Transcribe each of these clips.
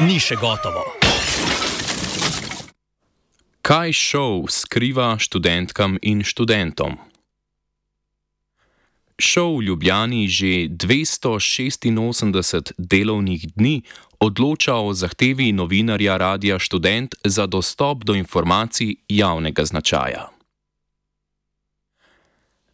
ni še gotovo. Kaj šov skriva študentkam in študentom? Šov v Ljubljani že 286 delovnih dni odloča o zahtevi novinarja Radia Študent za dostop do informacij javnega značaja.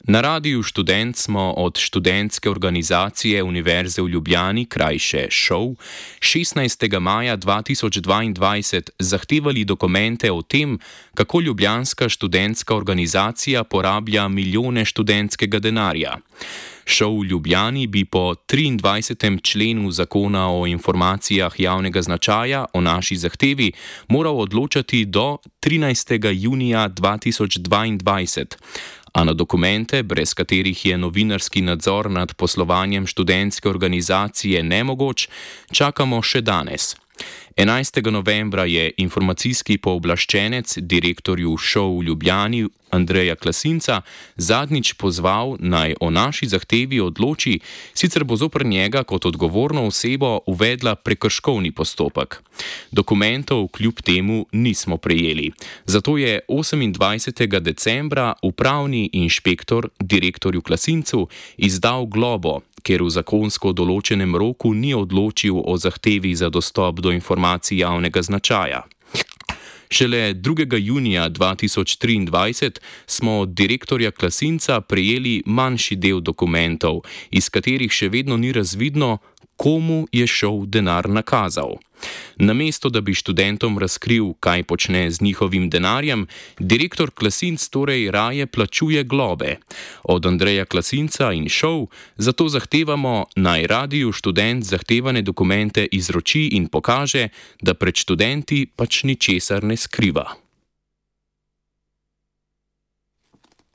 Na Radiu Študent smo od študentske organizacije Univerze v Ljubljani, krajše ŠOU, 16. maja 2022 zahtevali dokumente o tem, kako ljubljanska študentska organizacija porablja milijone študentskega denarja. ŠOU v Ljubljani bi po 23. členu Zakona o informacijah javnega značaja o naši zahtevi moral odločati do 13. junija 2022. A na dokumente, brez katerih je novinarski nadzor nad poslovanjem študentske organizacije nemogoč, čakamo še danes. 11. novembra je informacijski pooblaščenec direktorju ŠOU v Ljubljani Andreja Klasinca zadnjič pozval, naj o naši zahtevi odloči, sicer bo zoper njega kot odgovorno osebo uvedla prekrškovni postopek. Dokumentov kljub temu nismo prejeli. Zato je 28. decembra upravni inšpektor direktorju Klasincu izdal globo, ker v zakonsko določenem roku ni odločil o zahtevi za dostop do informacij javnega značaja. Šele 2. junija 2023 smo od direktorja Klasinca prejeli manjši del dokumentov, iz katerih še vedno ni razvidno, komu je ŠOU denar nakazal. Namesto da bi študentom razkril, kaj počne z njihovim denarjem, direktor Klasinc torej raje plačuje globe. Od Andreja Klasinca in ŠOU zato zahtevamo, naj Radiu Študent zahtevane dokumente izroči in pokaže, da pred študenti pač ničesar ne skriva.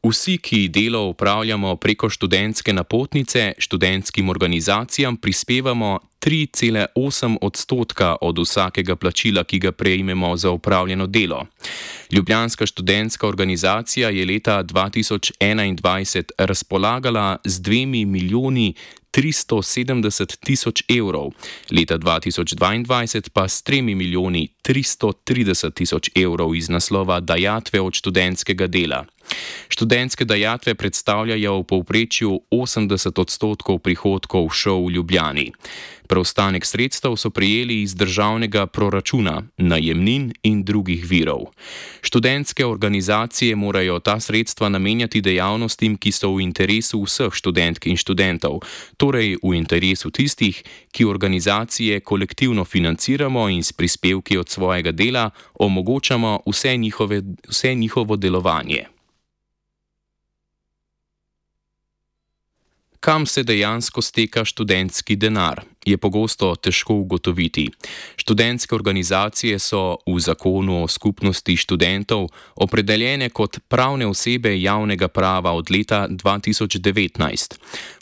Vsi, ki delo upravljamo preko študentske napotnice, študentskim organizacijam prispevamo 3,8% od vsakega plačila, ki ga prejmemo za upravljeno delo. Ljubljanska študentska organizacija je leta 2021 razpolagala z 2 milijoni 370 tisoč evrov, leta 2022 pa s 3 milijoni 330 tisoč evrov iz naslova dajatve od študentskega dela. Študentske dajatve predstavljajo v povprečju 80% prihodkov ŠOU v Ljubljani. Preostanek sredstev so prejeli iz državnega proračuna, najemnin in drugih virov. Študentske organizacije morajo ta sredstva namenjati dejavnostim, ki so v interesu vseh študentk in študentov, torej v interesu tistih, ki organizacije kolektivno financiramo in s prispevki od svojega dela omogočamo vse njihovo delovanje. Kam se dejansko steka študentski denar, je pogosto težko ugotoviti. Študentske organizacije so v zakonu o skupnosti študentov opredeljene kot pravne osebe javnega prava od leta 2019.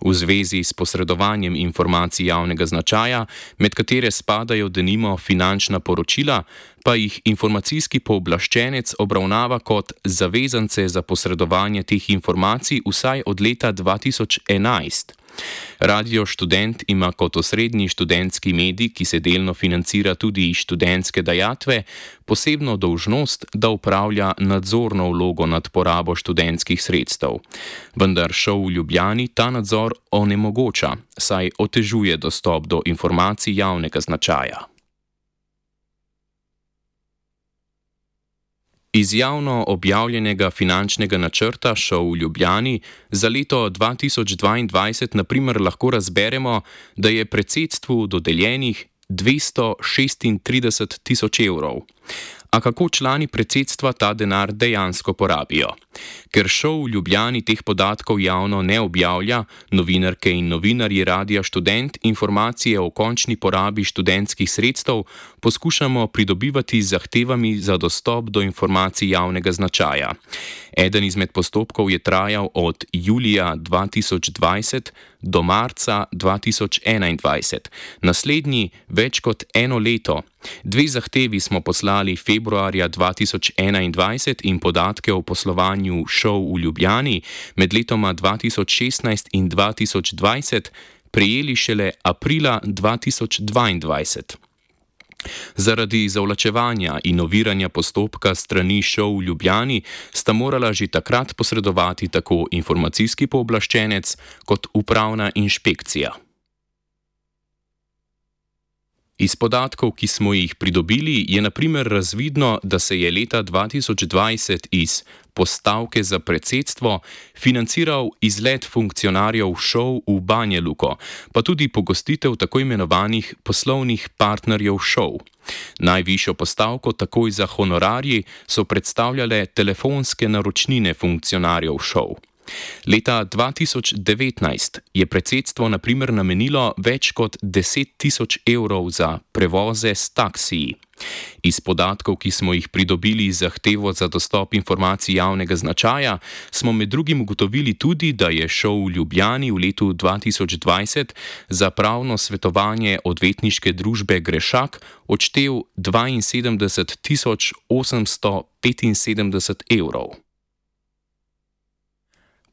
V zvezi s posredovanjem informacij javnega značaja, med katere spadajo denimo finančna poročila, pa jih informacijski pooblaščenec obravnava kot zavezance za posredovanje teh informacij vsaj od leta 2011. Radio Študent ima kot osrednji študentski medij, ki se delno financira tudi iz študentske dajatve, posebno dolžnost, da upravlja nadzorno vlogo nad porabo študentskih sredstev. Vendar ŠOU v Ljubljani ta nadzor onemogoča, saj otežuje dostop do informacij javnega značaja. Iz javno objavljenega finančnega načrta ŠOU v Ljubljani za leto 2022 na primer lahko razberemo, da je predsedstvu dodeljenih 236 tisoč evrov. A kako člani predsedstva ta denar dejansko porabijo? Ker ŠOU v Ljubljani teh podatkov javno ne objavlja, novinarke in novinarji Radia Študent informacije o končni porabi študentskih sredstev poskušamo pridobivati z zahtevami za dostop do informacij javnega značaja. Eden izmed postopkov je trajal od julija 2020 do marca 2021, naslednji več kot eno leto. 2 zahtevi smo poslali februarja 2021 in podatke o poslovanju ŠOU v Ljubljani med letoma 2016 in 2020 prejeli šele aprila 2022. Zaradi zavlačevanja in oviranja postopka strani ŠOU v Ljubljani sta morala že takrat posredovati tako informacijski pooblaščenec kot upravna inšpekcija. Iz podatkov, ki smo jih pridobili, je na primer razvidno, da se je leta 2020 iz postavke za predsedstvo financiral izlet funkcionarjev ŠOU v Banjaluko, pa tudi pogostitev tako imenovanih poslovnih partnerjev ŠOU. Najvišjo postavko takoj za honorarji so predstavljale telefonske naročnine funkcionarjev ŠOU. Leta 2019 je predsedstvo na primer namenilo več kot 10.000 evrov za prevoze s taksiji. Iz podatkov, ki smo jih pridobili z zahtevo za dostop informacij javnega značaja, smo med drugim ugotovili tudi, da je ŠOU v Ljubljani v letu 2020 za pravno svetovanje odvetniške družbe Grešak odštel 72.875 evrov.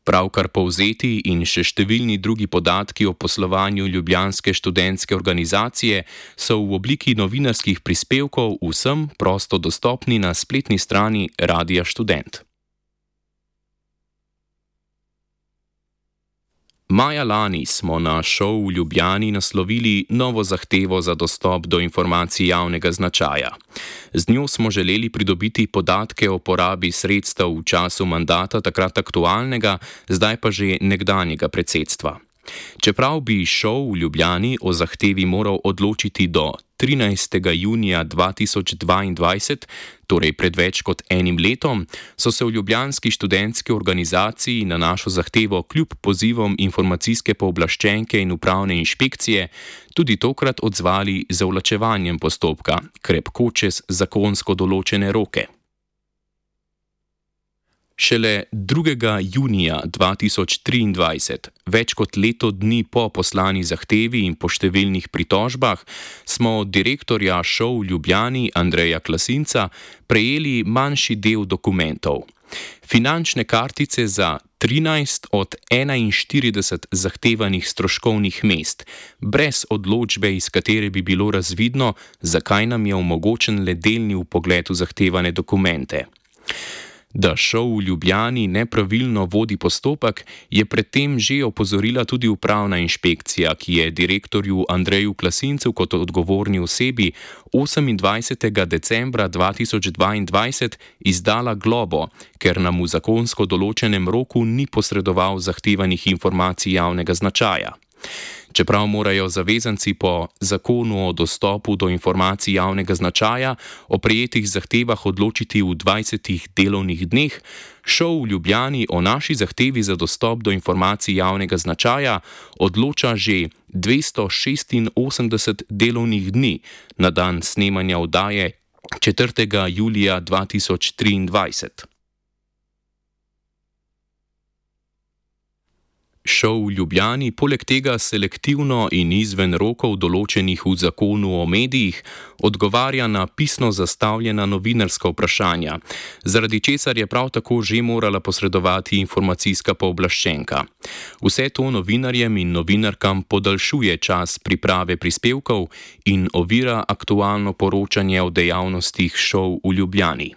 Pravkar povzeti in še številni drugi podatki o poslovanju ljubljanske študentske organizacije so v obliki novinarskih prispevkov vsem prosto dostopni na spletni strani Radia Študent. Maja lani smo na ŠOU v Ljubljani naslovili novo zahtevo za dostop do informacij javnega značaja. Z njo smo želeli pridobiti podatke o porabi sredstev v času mandata takrat aktualnega, zdaj pa že nekdanjega predsedstva. Čeprav bi ŠOU v Ljubljani o zahtevi moral odločiti do 13. junija 2022, torej pred več kot enim letom, so se v ljubljanski študentski organizaciji na našo zahtevo kljub pozivom informacijske pooblaščenke in upravne inšpekcije tudi tokrat odzvali z zavlačevanjem postopka, krepko čez zakonsko določene roke. Šele 2. junija 2023, več kot leto dni po poslani zahtevi in po številnih pritožbah, smo od direktorja ŠOU v Ljubljani Andreja Klasinca prejeli manjši del dokumentov. Finančne kartice za 13 od 41 zahtevanih stroškovnih mest, brez odločbe, iz katere bi bilo razvidno, zakaj nam je omogočen le delni vpogled v zahtevane dokumente. Da ŠOU v Ljubljani nepravilno vodi postopek, je predtem že opozorila tudi upravna inšpekcija, ki je direktorju Andreju Klasincu kot odgovorni osebi 28. decembra 2022 izdala globo, ker nam v zakonsko določenem roku ni posredoval zahtevanih informacij javnega značaja. Čeprav morajo zavezanci po zakonu o dostopu do informacij javnega značaja o prejetih zahtevah odločiti v 20 delovnih dneh, ŠOU v Ljubljani o naši zahtevi za dostop do informacij javnega značaja odloča že 286 delovnih dni na dan snemanja oddaje 4. julija 2023. ŠOU v Ljubljani poleg tega selektivno in izven rokov določenih v zakonu o medijih odgovarja na pisno zastavljena novinarska vprašanja, zaradi česar je prav tako že morala posredovati informacijska pooblaščenka. Vse to novinarjem in novinarkam podaljšuje čas priprave prispevkov in ovira aktualno poročanje o dejavnostih ŠOU v Ljubljani.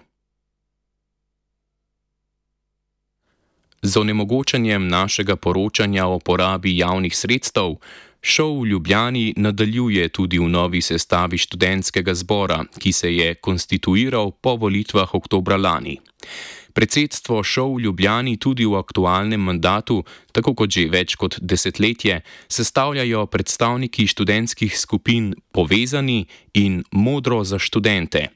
Z onemogočanjem našega poročanja o porabi javnih sredstev, ŠOU v Ljubljani nadaljuje tudi v novi sestavi študentskega zbora, ki se je konstituiral po volitvah oktobra lani. Predsedstvo ŠOU v Ljubljani tudi v aktualnem mandatu, tako kot že več kot desetletje, sestavljajo predstavniki študentskih skupin Povezani in Modro za študente.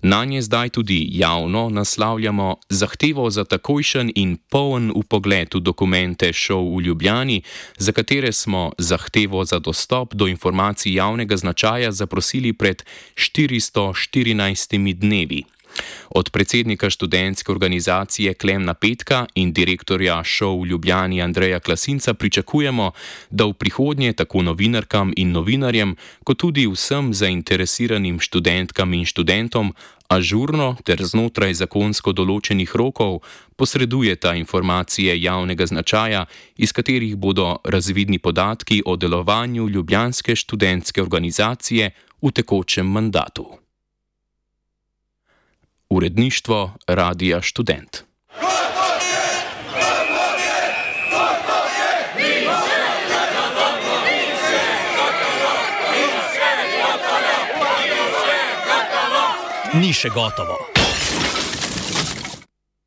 Nanje zdaj tudi javno naslavljamo zahtevo za takojšen in poln vpogled v dokumente ŠOU v Ljubljani, za katere smo zahtevo za dostop do informacij javnega značaja zaprosili pred 414 dnevi. Od predsednika študentske organizacije Klemna Petka in direktorja ŠOU v Ljubljani Andreja Klasinca pričakujemo, da v prihodnje tako novinarkam in novinarjem, kot tudi vsem zainteresiranim študentkam in študentom ažurno ter znotraj zakonsko določenih rokov posredujeta informacije javnega značaja, iz katerih bodo razvidni podatki o delovanju ljubljanske študentske organizacije v tekočem mandatu. Uredništvo Radia Študent. Ni še gotovo.